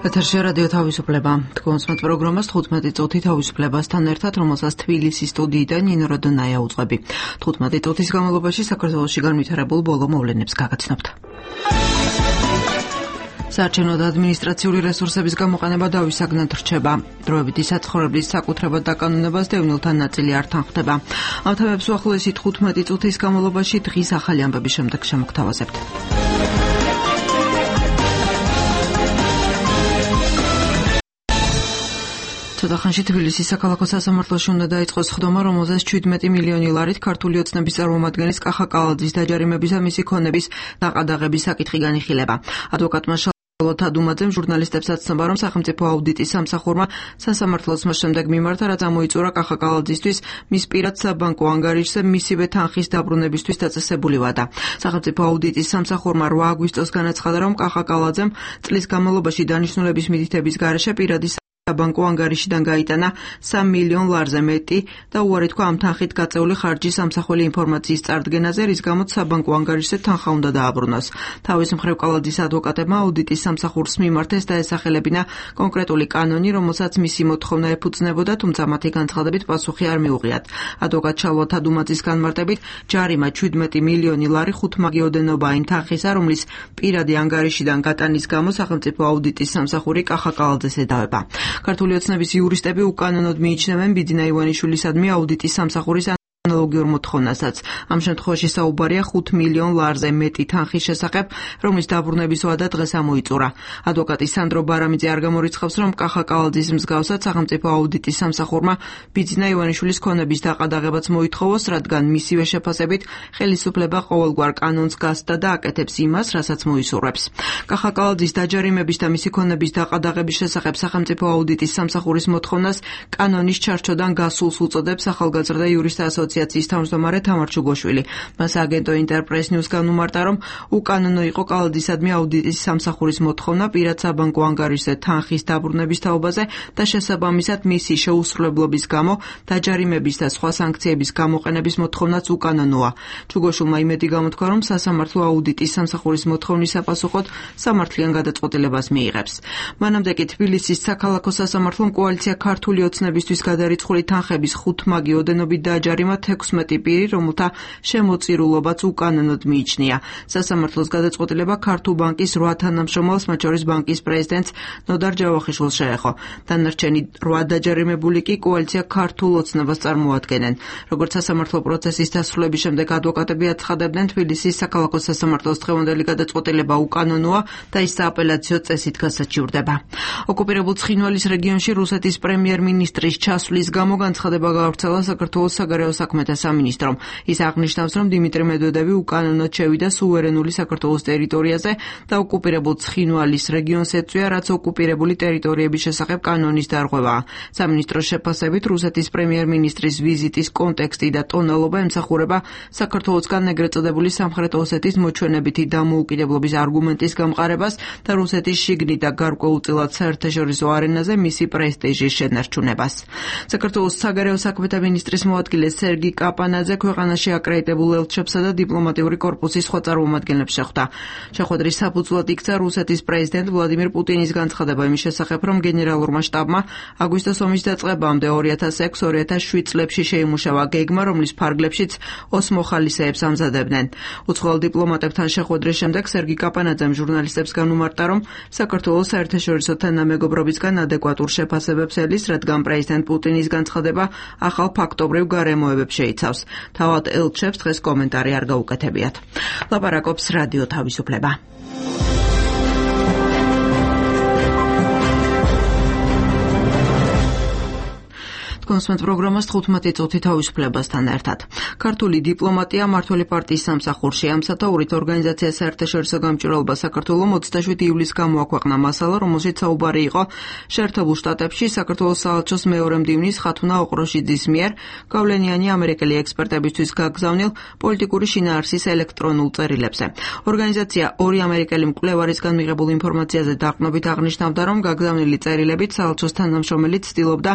ეთერში რადიო თავისუფლება. თქვენს პროგრამას 15 წუთი თავისუფლებასთან ერთად, რომელსაც თბილისის სტუდიიდან ნინო როდონაია უძღვები. 15 წუთის განმავლობაში საქართველოში განვითარებულ ბოლო მოვლენებს გაგაცნობთ. საარჩევნო და ადმინისტრაციული რესურსების გამოყენება დავისაგნად რჩება. დროებითი საცხოვრებლის საკუთრებად დაკანონებას დევნილთა ნაწილი არ თანხდება. ამ თემებს უახლოესი 15 წუთის განმავლობაში დღის ახალი ამბების შემდეგ შემოგთავაზებთ. ცოტა ხანში თბილისის საქალაქო სასამართლოში უნდა დაიწყოს ხდომა, რომელზეც 17 მილიონი ლარით ქართული ოცნების წარმომადგენლის კახა კალაძის დაჯარიმების და მისი ქონების დაყადაღების საკითხი განიხილება. ადვოკატმა შალვა დუმაძემ ჟურნალისტებსაც ცნობა, რომ სახელმწიფო აუდიტის სამსახურმა სასამართლოს შემდეგ მიმართა, რაც ამოიწურა კახა კალაძისთვის მის პირად საბანკო ანგარიშზე მისივე თანხის დაბრუნებისთვის დაწესებული ვადა. სახელმწიფო აუდიტის სამსახურმა 8 აგვისტოს განაცხადა, რომ კახა კალაძემ წლის განმავლობაში დანიშნულების მითითების გარეშე პირადი საბანკო ანგარიშიდან გაიტანა 3 მილიონ ლარზე მეტი და უარი თქვა ამ თანხით გაწეული ხარჯის სამსახველი ინფორმაციის წარდგენაზე, რის გამოც საბანკო ანგარიშზე თანხა უნდა დააბრუნოს. თავის მხრივ კალაძის ადვოკატებმა აუდიტის სამსახურს მიმართეს და ესახელებინა კონკრეტული კანონი, რომელსაც მისი მოთხოვნა ეფუძნებოდა, თუმცა მათი განცხადებით პასუხი არ მიუღიათ. ადვოკატ შალვა დუმაძის განმარტებით, ჯარიმა 17 მილიონი ლარი ხუთმაგიოდენობა იმ თანხისა, რომლის პირადი ანგარიშიდან გატანის გამო სახელმწიფო აუდიტის სამსახური კახა კალაძეს ედავება. ქართული ოცნების იურისტები უკანონოდ მიიჩნევენ ბიძინა ივანიშვილისადმი აუდიტის სამსახურის ანალოგიურ მოთხოვნასაც. ამ შემთხვევაში საუბარია 5 მილიონ ლარზე მეტი თანხის შესახებ, რომლის დაბრუნების ვადა დღეს ამოიწურა. ადვოკატი სანდრო ბარამიძე არ გამორიცხავს, რომ კახა კალაძის მსგავსად სახელმწიფო აუდიტის სამსახურმა ბიძინა ივანიშვილის ქონების დაყადაღებაც მოითხოვოს, რადგან მისივე შეფასებით ხელისუფლება ყოველგვარ კანონს გასცდა და აკეთებს იმას, რასაც მოისურვებს. კახა კალაძის დაჯარიმების და მისი ქონების დაყადაღების შესახებ სახელმწიფო აუდიტის სამსახურის მოთხოვნას კანონის ჩარჩოდან გასულს უწოდებს ახალგაზრდა იურისტთა ასოციაციის თავმჯდომარე თამარ ჩუგოშვილი. მას აგენტო ინტერპრეს ნიუს განუმარტა, რომ უკანონო იყო კალაძისადმი აუდიტის სამსახურის მოთხოვნა პირად საბანკო ანგარიშზე თანხის დაბრუნების თაობაზე და შესაბამისად მისი შეუსრულებლობის გამო დაჯარიმების და სხვა სანქციების გამოყენების მოთხოვნაც უკანონოა. ჩუგოშვილმა იმედი გამოთქვა, რომ სასამართლო აუდიტის სამსახურის მოთხოვნის საპასუხოდ სამართლიან გადაწყვეტილებას მიიღებს. მანამდე კი თბილისის საქალაქო სასამართლომ კოალიცია ქართული ოცნებისთვის გადარიცხული თანხების ხუთმაგიოდენობით დააჯარიმა 16 პირი, რომელთა შემოწირულობაც უკანონოდ მიიჩნია. სასამართლოს გადაწყვეტილება ქართულ ბანკის 8 თანამშრომელს, მათ შორის ბანკის პრეზიდენტს ნოდარ ჯავახიშვილს შეეხო. დანარჩენი 8 დაჯარიმებული კი კოალიცია ქართულ ოცნებას წარმოადგენენ. როგორც სასამართლო პროცესის დასრულების შემდეგ ადვოკატები აცხადებდნენ, თბილისის საქალაქო სასამართლოს დღევანდელი გადაწყვეტილება უკანონოა და ის სააპელაციო წესით გასაჩივრდება. ოკუპირებულ ცხინვალის რეგიონში რუსეთის პრემიერ-მინისტრის ჩასვლის გამო განცხადება გაავრცელა საქართველოს საგარეო საქმეთა სამინისტრომ. ის აღნიშნავს, რომ დიმიტრი მედვედევი უკანონოდ შევიდა სუვერენული საქართველოს ტერიტორიაზე და ოკუპირებულ ცხინვალის რეგიონს ეწვია, რაც ოკუპირებული ტერიტორიების შესახებ კანონის დარღვევაა. სამინისტროს შეფასებით, რუსეთის პრემიერ-მინისტრის ვიზიტის კონტექსტი და ტონალობა ემსახურება საქართველოსგან ეგრეთ წოდებული სამხრეთ ოსეთის მოჩვენებითი დამოუკიდებლობის არგუმენტის გამყარებას და რუსეთის შიგნით და გარკვეულწილად საერთაშორისო არენაზე მისი პრესტიჟის შენარჩუნებას. საქართველოს საგარეო საქმეთა მინისტრის მოადგილე სერგი კაპანაძე ქვეყანაში აკრედიტებულ ელჩებსა და დიპლომატიური კორპუსის სხვა წარმომადგენლებს შეხვდა. შეხვედრის საფუძვლად იქცა რუსეთის პრეზიდენტ ვლადიმირ პუტინის განცხადება იმის შესახებ, რომ გენერალურმა შტაბმა აგვისტოს ომის დაწყებამდე 2006-2007 წლებში შეიმუშავა გეგმა, რომლის ფარგლებშიც ოს მოხალისეებს ამზადებდნენ. უცხოელ დიპლომატებთან შეხვედრის შემდეგ სერგი კაპანაძემ ჟურნალისტებს განუმარტა, რომ საქართველოს საერთაშორისო თანამეგობრობისგან ადეკვატურ შეფასებებს ელის, რადგან პრეზიდენტ პუტინის განცხადება ახალ ფაქტობრივ გარემოებებს შეიცავს. თავად ელჩებს დღეს კომენტარი არ გაუკეთებიათ. ლაპარაკობს რადიო თავისუფლება. კონსმეთ პროგრამას 15 წუთი თავისუფლებასთან ერთად. ქართული დიპლომატია მმართველი პარტიის სამსახურში. ამ სათაურით ორგანიზაცია საერთაშორისო გამჭვირვალობა საქართველოს 27 ივლისს გამოაქვეყნა მასალა, რომელშიც საუბარი იყო შეერთებულ შტატებში საქართველოს საელჩოს მეორე მდივნის ხათუნა ოყროშიძის მიერ გავლენიანი ამერიკელი ექსპერტებისთვის გაგზავნილ პოლიტიკური შინაარსის ელექტრონულ წერილებზე. ორგანიზაცია ორი ამერიკელი მკვლევარისგან მიღებულ ინფორმაციაზე დაყრდნობით აღნიშნავდა, რომ გაგზავნილი წერილებით საელჩოს თანამშრომელი ცდილობდა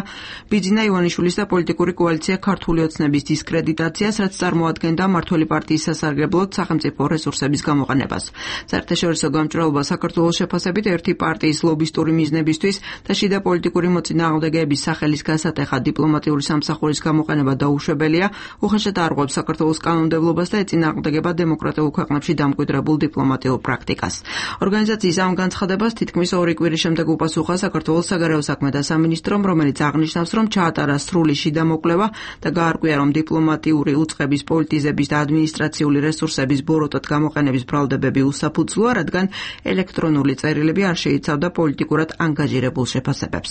ბიძინა ივანიშვილის და პოლიტიკური კოალიცია ქართული ოცნების დისკრედიტაციას, რაც წარმოადგენდა მმართველი პარტიის სასარგებლოდ სახელმწიფო რესურსების გამოყენებას. საერთაშორისო გამჭრალობა საქართველოს შეფასებით ერთი პარტიის ლობისტური მიზნებისთვის და შიდა პოლიტიკური მოწინააღმდეგეების სახელის გასატეხად დიპლომატიური სამსახურის გამოყენება დაუშვებელია, უხეშად არღვევს საქართველოს კანონმდებლობას და ეწინააღმდეგება დემოკრატიულ ქვეყნებში დამკვიდრებულ დიპლომატიურ პრაქტიკას. ორგანიზაციის ამ განცხადებას თითქმის 2 კვირის შემდეგ უპასუხა საქართველოს საგარეო საქმეთა სამინისტრომ, რომელიც აღნიშნავს, რომ ჩაატარა სრული შიდა მოკვლევა და გაარკვია, რომ დიპლომატიური უწყების, პოლიტიზების და ადმინისტრაციული რესურსების ბოროტად გამოყენების ბრალდებები უსაფუძვლოა, რადგან ელექტრონული წერილები არ შეიცავდა პოლიტიკურად ანგაჟირებულ შეფასებებს.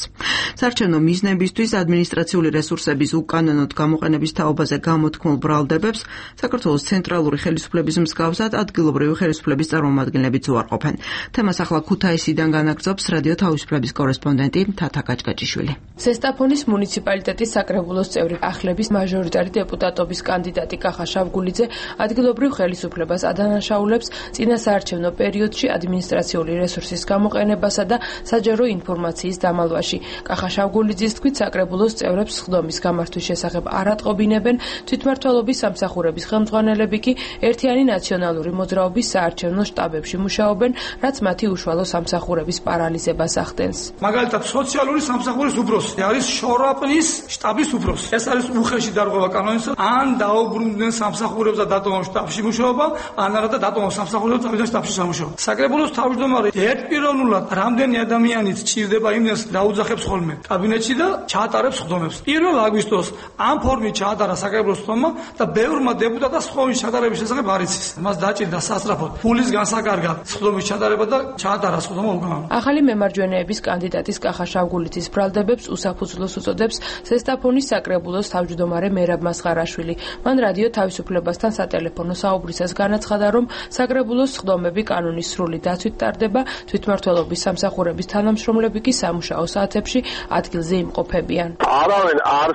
საარჩევნო მიზნებისთვის ადმინისტრაციული რესურსების უკანონოდ გამოყენების თაობაზე გამოთქმულ ბრალდებებს საქართველოს ცენტრალური ხელისუფლების მსგავსად ადგილობრივი ხელისუფლების წარმომადგენლებიც უარყოფენ. თემას ახლა ქუთაისიდან განაგრძობს რადიო თავისუფლების კორესპონდენტი თათა კაჭკაჭიშვილი. ზესტაფონის მუნიციპალიტეტის საკრებულოს წევრი ახლების მაჟორიტარი დეპუტატობის კანდიდატი კახა შავგულიძე ადგილობრივ ხელისუფლებას ადანაშაულებს წინა საარჩევნო პერიოდში ადმინისტრაციული რესურსის გამოყენებასა და საჯარო ინფორმაციის დამალვაში. კახა შავგულიძის თქმით, საკრებულოს წევრებს სხდომის გამართვის შესახებ არ ატყობინებენ, თვითმმართველობის სამსახურების ხელმძღვანელები კი ერთიანი ნაციონალური მოძრაობის საარჩევნო შტაბებში მუშაობენ, რაც მათი უშუალო სამსახურების პარალიზებას ახდენს. მაგალითად, სოციალური სამსახურის უფროსი არის შორაპნის შტაბის უფროსი. ეს არის უხეში დარღვევა კანონისა, ან დაუბრუნდნენ სამსახურებს და დატოვონ შტაბში მუშაობა, ან არა და დატოვონ სამსახურებს და შტაბში სამუშაობა. საკრებულოს თავმჯდომარე ერთპიროვნულად რამდენი ადამიანიც ჭირდება იმდენს დაუძახებს ხოლმე კაბინეტში და ჩაატარებს სხდომებს. 1 აგვისტოს ამ ფორმით ჩაატარა საკრებულოს სხდომა და ბევრმა დეპუტატმა სხდომის ჩატარების შესახებ არ იცის. მას დაჭირდა სასწრაფოდ ფულის განსაკარგად სხდომის ჩატარება და ჩაატარა სხდომა უკანონოდ. ახალი მემარჯვენეების კანდიდატის კახა შავგულიძის ბრალდებებს უსაფუძვლოს უწოდებს ზესტაფონის საკრებულოს თავმჯდომარე მერაბ მასხარაშვილი. მან რადიო თავისუფლებასთან სატელეფონო საუბრისას განაცხადა, რომ საკრებულოს სხდომები კანონის სრული დაცვით ტარდება, თვითმმართველობის სამსახურების თანამშრომლები კი სამუშაო საათებში ადგილზე იმყოფებიან. არავინ არ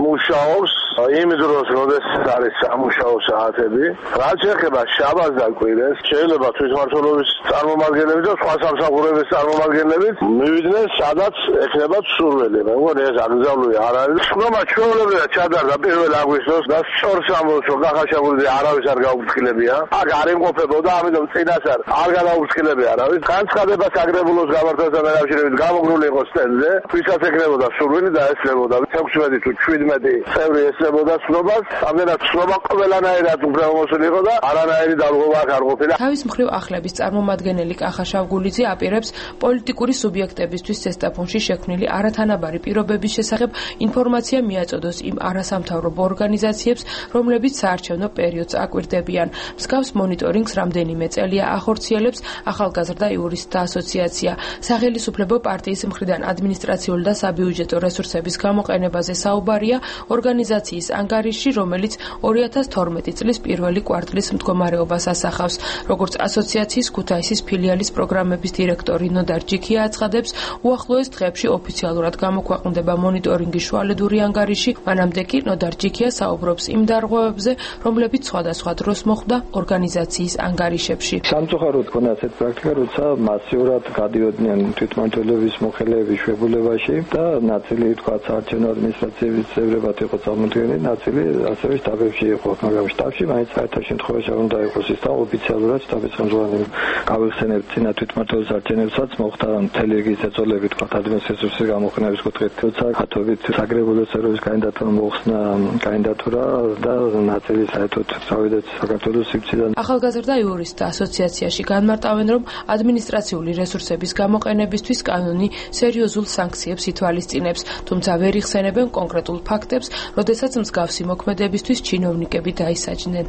მუშაობს იმ დროს, როდესაც არის სამუშაო საათები. რაც შეეხება შაბათს და კვირას, შეიძლება თვითმმართველობის წარმომადგენლები და სხვა სამსახურების წარმომადგენლები მივიდნენ, სადაც ექნებათ სურვილი. მე მგონი ეს აკრძალული არ არის. სხდომა ჩვეულებრივად ჩატარდა 1 აგვისტოს და სწორ სამბოლოს კახა შავგულიძე არავის არ გაუფრთხილებია. აქ არ იმყოფებოდა, ამიტომ წინასწარ არ გადაუფრთხილები არავის. განცხადება საკრებულოს გამართვასთან დაკავშირებით გამოგრული იყო სტენდზე, ვისაც ეკნებოდა სურვილი და ესწრებოდა 16 თუ 17 წევრი ესწრებოდა სხდომას. ამდენად სხდომა ყველანაირად უფლებამოსილი იყო და არანაირი დალღობა არ ყოფილა. თავის მხრივ ახლების წარმომადგენელი კახა შავგულიძე აპირებს პოლიტიკური სუბიექტებისთვის ზესტაფონში შექმნილი არათანაბარი პირობების შესახებ ინფორმაცია მიაწოდოს იმ არასამთავრობო ორგანიზაციებს, რომლებიც საარჩევნო პერიოდს აკვირდებიან. მსგავს მონიტორინგს რამდენიმე წელია ახორციელებს ახალგაზრდა იურისტთა ასოციაცია. სახელისუფლებო პარტიის მხრიდან ადმინისტრაციული და საბიუჯეტო რესურსების გამოყენებაზე საუბარია ორგანიზაციის ანგარიში, რომელიც 2012 წლის პირველი კვარტლის მდგომარეობას ასახავს. როგორც ასოციაციის ქუთაისის ფილიალის პროგრამების დირექტორი ნოდარ ჯიქია აცხადებს, უახლოეს დღეებში ოფიციალურად გამოქვეყნდება მონიტორინგის შუალედური ანგარიში. მანამდე კი ნოდარ ჯიქია საუბრობს იმ დარღვევებზე, რომლებიც სხვადასხვა დროს მოხდა ორგანიზაციის ანგარიშებში. სამწუხაროდ ქონდა ასეთ პრაქტიკა, როცა მასიურად გადიოდნენ თვითმმართველობის მოხელეების შვებულებაში და ნაწილი თქვა საარჩევნო ადმინისტრაციების წევრებად იყო წარმოდგენილი, ნაწილი ასევე შტაბებში იყო, მაგრამ შტაბში მაინც საერთაშორისო შემთხვევაში უნდა იყოს ის და ოფიციალურად შტაბის ხელმძღვანელი გავიხსენებთ წინა თვითმმართველობის არჩევნებსაც მოხდა მთელი რიგი წეწოლები თქვა ადმინისტრაციის გამოყენების კუთხით, როცა ქათობით საკრებულოს წევრების კანდიდატურა მოხსნა კანდიდატურა და ნაწილი საერთოდ წავიდა საქართველოს სივრციდან. ახალგაზრდა იურისტთა ასოციაციაში განმარტავენ, რომ ადმინისტრაციული რესურსების გამოყენებისთვის კანონი სერიოზულ სანქციებს ითვალისწინებს, თუმცა ვერ იხსენებენ კონკრეტულ ფაქტებს, როდესაც მსგავსი მოქმედებისთვის ჩინოვნიკები დაისაჯნენ.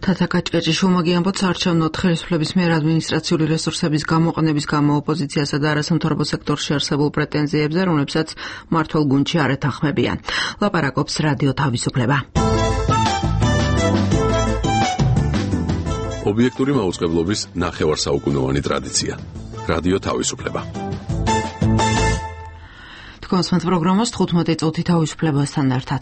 თათა კაჭკაჭიშვილმა გიამბოთ, საარჩევნო ხელისუფლების მიერ ადმინისტრაციული რესურსების გამოყენების გამო ოპოზიციასა და არასამთავრობო სექტორში არსებულ პრეტენზიებზე, რომლებსაც მმართველ გუნდში არ ეთანხმებიან. ლაპარაკობს რადიო თავისუფლება. ობიექტური მაუწყებლობის ნახევარსაუკუნოვანი ტრადიცია. რადიო თავისუფლება. თქვენს პროგრამას 15 წუთი თავისუფლებასთან ერთად.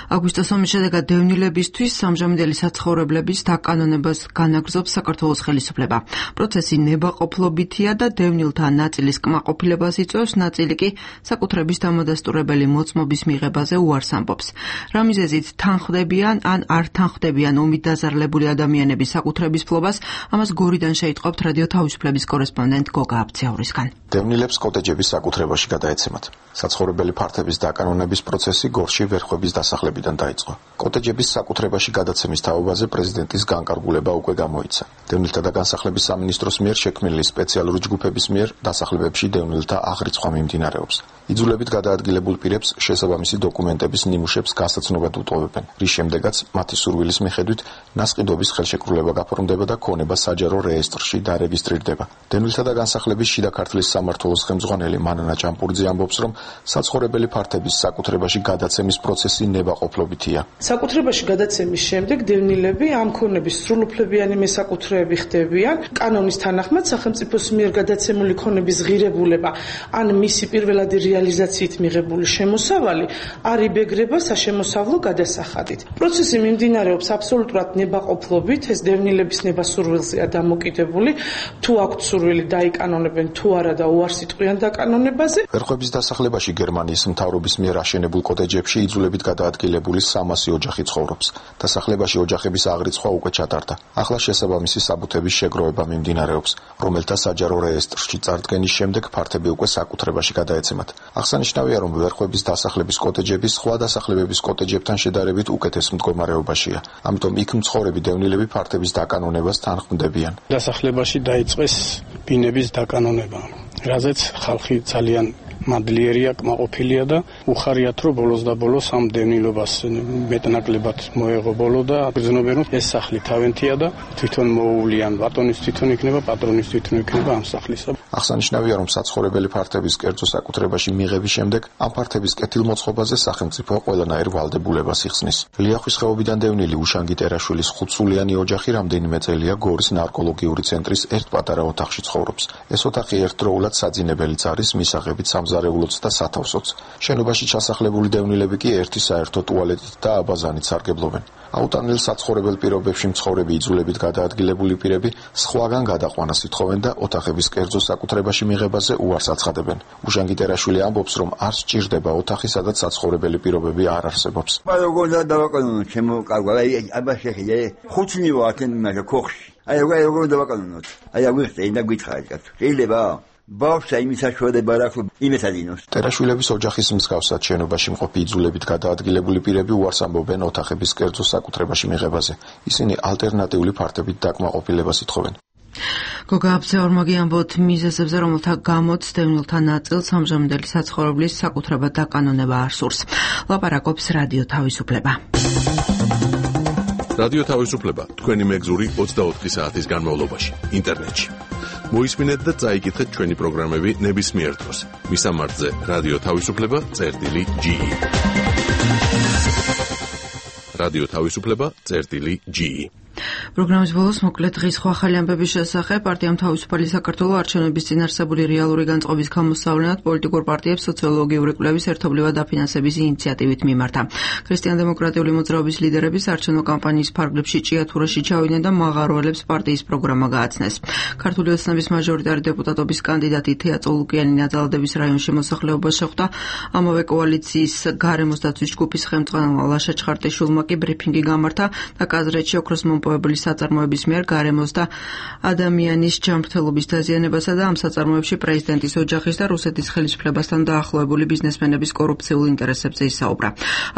აგვისტოს ომის შედეგად დევნილებისთვის სამჟამინდელი საცხოვრებლების დაკანონებას განაგრძობს საქართველოს ხელისუფლება. პროცესი ნებაყოფლობითია და დევნილთა ნაწილის კმაყოფილებას იწვევს, ნაწილი კი საკუთრების დამადასტურებელი მოწმობის მიღებაზე უარს ამბობს. რა მიზეზით თანხმდებიან ან არ თანხმდებიან ომით დაზარალებული ადამიანების საკუთრების ფლობას, ამას გორიდან შეიტყობთ რადიო თავისუფლების კორესპონდენტ გოგა აბცეაურისგან. დევნილებს კოტეჯების საკუთრებაში გადაეცემათ. საცხოვრებელი ფართების დაკანონების პროცესი გორში ვერხვების დასახლებიდან დაიწყო. კოტეჯების საკუთრებაში გადაცემის თაობაზე პრეზიდენტის განკარგულება უკვე გამოიცა. დევნილთა და განსახლების სამინისტროს მიერ შექმნილი სპეციალური ჯგუფების მიერ დასახლებებში დევნილთა აღრიცხვა მიმდინარეობს. იძულებით გადაადგილებულ პირებს შესაბამისი დოკუმენტების ნიმუშებს გასაცნობად უტოვებენ, რის შემდეგაც მათი სურვილის მიხედვით ნასყიდობის ხელშეკრულება გაფორმდება და ქონება საჯარო რეესტრში დარეგისტრირდება. დევნილთა და განსახლების შიდა ქართლის სამმართველოს ხელმძღვანელი მანანა ჭამპურიძე ამბობს, რომ საცხოვრებელი ფართების საკუთრებაში გადაცემის პროცესი ნებაყოფლობითია. საკუთრებაში გადაცემის შემდეგ დევნილები ამ ქონების სრულუფლებიანი მესაკუთრეები ხდებიან. კანონის თანახმად სახელმწიფოს მიერ გადაცემული ქონების ღირებულება ან მისი პირველადი რეალიზაციით მიღებული შემოსავალი არ იბეგრება საშემოსავლო გადასახადით. პროცესი მიმდინარეობს აბსოლუტურად ნებაყოფლობით, ეს დევნილების ნებასურვილზეა დამოკიდებული, თუ აქვთ სურვილი დაიკანონებენ თუ არა და უარს იტყვიან დაკანონებაზე. ვერხვების დასახლებაში გერმანიის მთავრობის მიერ აშენებულ კოტეჯებში იძულებით გადაადგილებული 300 ოჯახი ცხოვრობს. დასახლებაში ოჯახების აღრიცხვა უკვე ჩატარდა. ახლა შესაბამისი საბუთების შეგროვება მიმდინარეობს, რომელთა საჯარო რეესტრში წარდგენის შემდეგ ფართები უკვე საკუთრებაში გადაეცემათ. აღსანიშნავია, რომ ვერხვების დასახლების კოტეჯები სხვა დასახლებების კოტეჯებთან შედარებით უკეთეს მდგომარეობაშია. ამიტომ იქ მცხოვრები დევნილები ფართების დაკანონებას თანხმდებიან. დასახლებაში დაიწყეს ბინების დაკანონება, რაზეც ხალხი ძალიან მადლიერია, კმაყოფილია და უხარიათ, რომ ბოლოს და ბოლოს ამ დევნილობას მეტნაკლებად მოეღო ბოლო და გრძნობენ, რომ ეს სახლი თავენთია და თვითონ მოუვლიან, ბატონის თვითონ იქნება, პატრონის თვითონ იქნება ამ სახლისა. აღსანიშნავია, რომ საცხოვრებელი ფართების კერძო საკუთრებაში მიღების შემდეგ ამ ფართების კეთილმოწყობაზე სახელმწიფო ყველანაირ ვალდებულებას იხსნის. ლიახვის ხეობიდან დევნილი უშანგი ტერაშვილის 5-სულიანი ოჯახი რამდენიმე წელია გორის ნარკოლოგიური ცენტრის ერთ პატარა ოთახში ცხოვრობს. ეს ოთახი ერთდროულად საძინებელიც არის მისაღებით სამზარეულოც და სათავსოც. შენობაში ჩასახლებული დევნილები კი ერთი საერთო ტუალეტით და აბაზანით სარგებლობენ. აუტანელ საცხოვრებელ პირობებში მცხოვრები იძულებით გადაადგილებული პირები სხვაგან გადაყვანას ითხოვენ და ოთახების კერძო საკუთრებაში მიღებაზე უარს აცხადებენ. უშანგი ტერაშვილი ამბობს, რომ არ სჭირდება ოთახი, სადაც საცხოვრებელი პირობები არ არსებობს. როგორ დავაკანონოთ ჩემო კარგო, აბა შეხედე, ხუთნი ვართ მაგ ქოხში. როგორ დავაკანონოთ? აღვიხსენ და გითხარით, შეიძლება? ბავშვს იმის საშუალება აქვს იმეცადინოს. ტერაშვილების ოჯახის მსგავსად შენობაში მყოფი იძულებით გადაადგილებული პირები უარს ამბობენ ოთახების კერძო საკუთრებაში მიღებაზე. ისინი ალტერნატიული ფართებით დაკმაყოფილებას ითხოვენ. გოგა აბცეაურმა ამბობთ მიზეზებზე, რომელთა გამოც დევნილთა ნაწილს ამჟამინდელი საცხოვრებლის საკუთრება დაკანონება არ სურს. ლაპარაკობს რადიო თავისუფლება. რადიო თავისუფლება თქვენი მეგზური 24 საათის განმავლობაში ინტერნეტში. მოისმინეთ და წაიკითხეთ ჩვენი პროგრამები ნებისმიერ დროს. მისამართზე რადიო თავისუფლება.ge. რადიო თავისუფლება.ge. პროგრამის ბოლოს მოკლედ დღის სხვა ახალი ამბების შესახებ პარტიამ თავისუფალი საქართველო არჩევნების წინ არსებული რეალური განწყობის გამოსავლენად პოლიტიკურ პარტიებს სოციოლოგიური კვლევის ერთობლივად დაფინანსების ინიციატივით მიმართა. ქრისტიან-დემოკრატიული მოძრაობის ლიდერების არჩევნო კამპანიის ფარგლებში ჭიათურაში ჩავიდნენ და მაღაროელებს პარტიის პროგრამა გააცნეს. ქართული ოცნების მაჟორიტარი დეპუტატობის კანდიდატი თეა წოლუკიანი ნაძალადების რაიონში მოსახლეობას შეხვდა. ამავე კოალიციის გარემოს დაცვის ჯგუფის ხელმძღვანელმა ლაშა ჩხარტიშვილმა კი ბრიფინგი გამართა და კაზრეთში ოქროს მომპოვებული საწარმოების მიერ გარემოს და ადამიანის ჯანმრთელობის დაზიანებასა და ამ საწარმოებში პრეზიდენტის ოჯახის და რუსეთის ხელისუფლებასთან დაახლოებული ბიზნესმენების კორუფციულ ინტერესებზე ისაუბრა.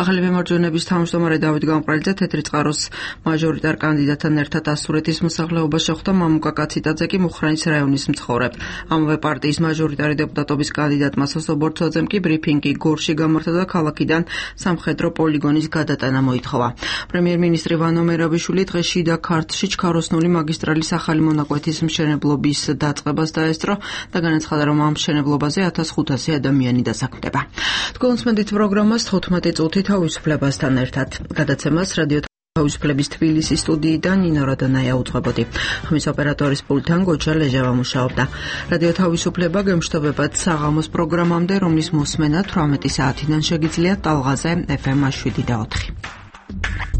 ახალი მემარჯვენეების თავმჯდომარე დავით გამყრალიძე თეთრი წყაროს მაჟორიტარ კანდიდატთან ერთად ასურეთის მოსახლეობას შეხვდა. მამუკა კაციტაძე კი მუხრანის რაიონის მცხოვრებ. ამავე პარტიის მაჟორიტარი დეპუტატობის კანდიდატმა სოსო ბორცვაძემ კი ბრიფინგი გორში გამართა და ქალაქიდან სამხედრო პოლიგონის გადატანა მოითხოვა. პრემიერ-მინისტრი ვანო მერაბიშვილი დღეში და ქართლში ჩქაროსნული მაგისტრალის ახალი მონაკვეთის მშენებლობის დაწყებას დაესწრო და განაცხადა, რომ ამ მშენებლობაზე 1500 ადამიანი დასაქმდება. თქვენ უსმენთ პროგრამას 15 წუთი თავისუფლებასთან ერთად. გადაცემას რადიო თავისუფლების თბილისის სტუდიიდან ნინო როდონაია უძღვებოდი. ხმის ოპერატორის პულტთან გოჩა ლეჟავა მუშაობდა. რადიო თავისუფლება გემშვიდობებად საღამოს პროგრამამდე, რომლის მოსმენა 18 საათიდან შეგიძლიათ ტალღაზე FM 7 და 4.